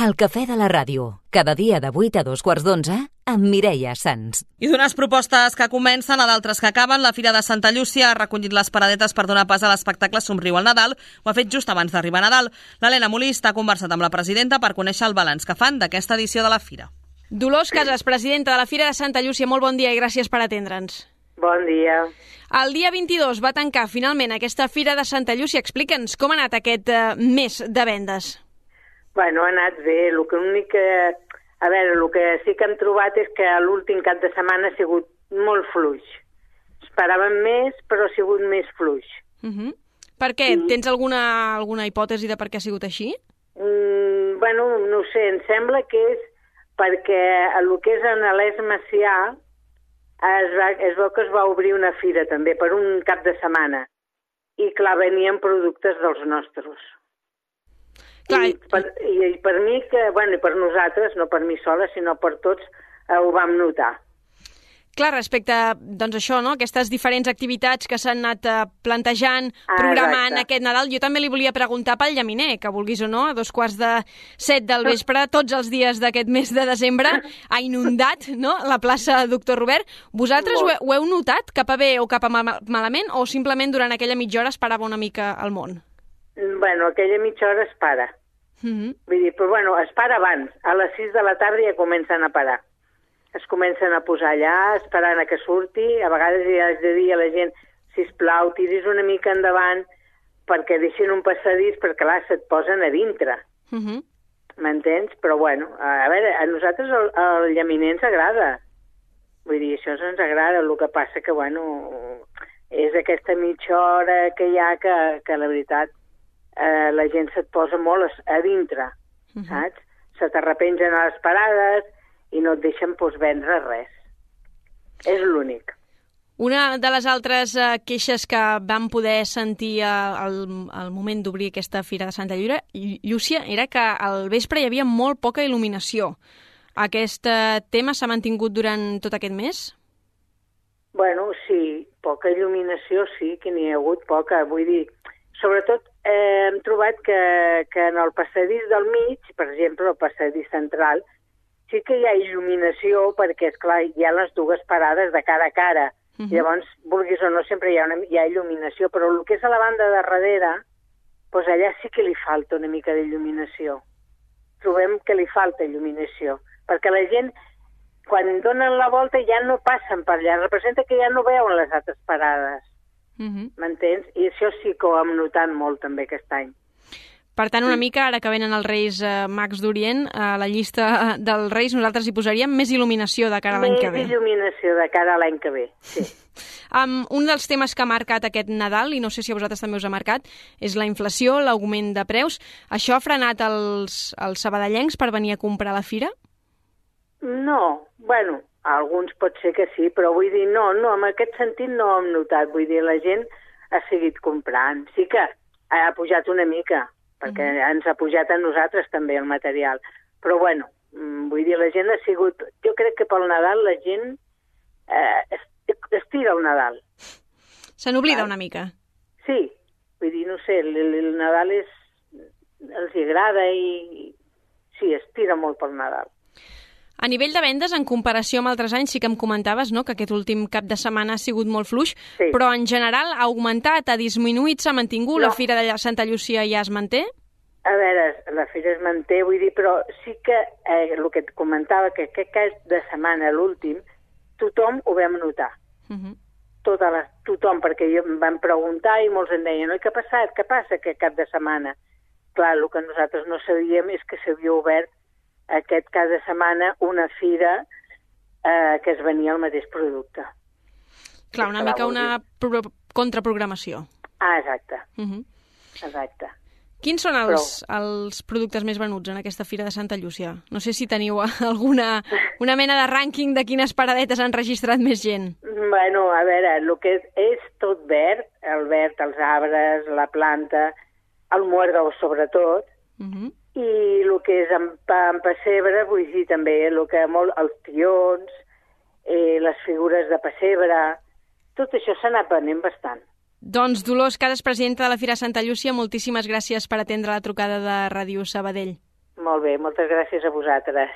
El cafè de la ràdio, cada dia de 8 a 2:15 amb Mireia Sans. I d'unes propostes que comencen a d'altres que acaben, la Fira de Santa Llúcia ha recollit les paradetes per donar pas a l'espectacle Somriu al Nadal. Ho ha fet just abans d'arribar a Nadal. L'Helena Molist ha conversat amb la presidenta per conèixer el balanç que fan d'aquesta edició de la Fira. Dolors Casas, presidenta de la Fira de Santa Llúcia, molt bon dia i gràcies per atendre'ns. Bon dia. El dia 22 va tancar finalment aquesta Fira de Santa Llúcia. Explica'ns com ha anat aquest mes de vendes. Bueno, ha anat bé. El que sí que hem trobat és que l'últim cap de setmana ha sigut molt fluix. Esperàvem més, però ha sigut més fluix. Per què? Tens alguna hipòtesi de per què ha sigut així? No ho sé, em sembla que és perquè el que és en l'Es Macià es veu que es va obrir una fira també per un cap de setmana i clar, venien productes dels nostres. Clar, I per mi, i per nosaltres, no per mi sola, sinó per tots, ho vam notar. Clar, respecte a això, no? Aquestes diferents activitats que s'han anat plantejant, programant aquest Nadal, jo també li volia preguntar pel llaminer, que vulguis o no, a 6:45 del vespre, tots els dies d'aquest mes de desembre, ha inundat, no?, la plaça Doctor Robert. Vosaltres ho heu notat, cap a bé o cap a malament, o simplement durant aquella mitja hora es parava una mica el món? Aquella mitja hora es para. Vull dir, però es para abans. A les 6 de la tarda ja comencen a parar. Es comencen a posar allà, esperant a que surti. A vegades ja has de dir a la gent, sisplau, tiris una mica endavant perquè deixin un passadís, perquè clar, se't posen a dintre. M'entens? Però a nosaltres el llaminer ens agrada. Vull dir, això ens agrada. El que passa que, és aquesta mitja hora que hi ha que la veritat, la gent se't posa molt a dintre, saps? Se t'arrepengen a les parades i no et deixen vendre res. És l'únic. Una de les altres queixes que vam poder sentir al moment d'obrir aquesta Fira de Santa Llúcia era que al vespre hi havia molt poca il·luminació. Aquest tema s'ha mantingut durant tot aquest mes? Sí, poca il·luminació sí, que n'hi ha hagut poca. Vull dir, sobretot hem trobat que en el passadís del mig, per exemple, el passadís central, sí que hi ha il·luminació perquè, esclar, hi ha les dues parades de cara a cara. Llavors, vulguis o no, sempre hi ha il·luminació, però el que és a la banda de darrere, allà sí que li falta una mica d'il·luminació. Trobem que li falta il·luminació, perquè la gent, quan donen la volta, ja no passen per allà. Representa que ja no veuen les altres parades. M'entens? I això sí que ho hem notat molt també aquest any. Per tant, una mica, ara que venen els Reis Mags d'Orient, a la llista dels Reis nosaltres hi posaríem més il·luminació de cara a l'any que ve. Més il·luminació de cara a l'any que ve, sí. Un dels temes que ha marcat aquest Nadal, i no sé si a vosaltres també us ha marcat, és la inflació, l'augment de preus. Això ha frenat els sabadellencs per venir a comprar a la fira? No, alguns pot ser que sí, però vull dir, no, en aquest sentit no ho hem notat. Vull dir, la gent ha seguit comprant. Sí que ha pujat una mica, perquè ens ha pujat a nosaltres també el material. Però vull dir, la gent ha sigut... Jo crec que pel Nadal la gent estira el Nadal. Se n'oblida una mica. Sí, vull dir, no sé, el Nadal els agrada i sí, estira molt pel Nadal. A nivell de vendes, en comparació amb altres anys, sí que em comentaves, no?, que aquest últim cap de setmana ha sigut molt fluix, però en general ha augmentat, ha disminuït, s'ha mantingut? La Fira de Santa Llúcia ja es manté? A veure, la Fira es manté, vull dir, però sí que el que et comentava, que aquest cap de setmana, l'últim, tothom ho vam notar. Tothom, perquè em van preguntar i molts em deien, què ha passat? Què passa aquest cap de setmana? Clar, el que nosaltres no sabíem és que s'havia obert aquest cap de setmana una fira que es venia el mateix producte. Clar, una mica una contraprogramació. Exacte. Exacte. Quins són els productes més venuts en aquesta Fira de Santa Llúcia? No sé si teniu una mena de rànquing de quines paradetes han registrat més gent. A veure, el que és tot verd, el verd, els arbres, la planta, el muerdol sobretot, i el que és en pessebre, vull dir també els tions, les figures de pessebre, tot això s'ha anat venent bastant. Doncs Dolors Casas, presidenta de la Fira Santa Llúcia, moltíssimes gràcies per atendre la trucada de Ràdio Sabadell. Molt bé, moltes gràcies a vosaltres.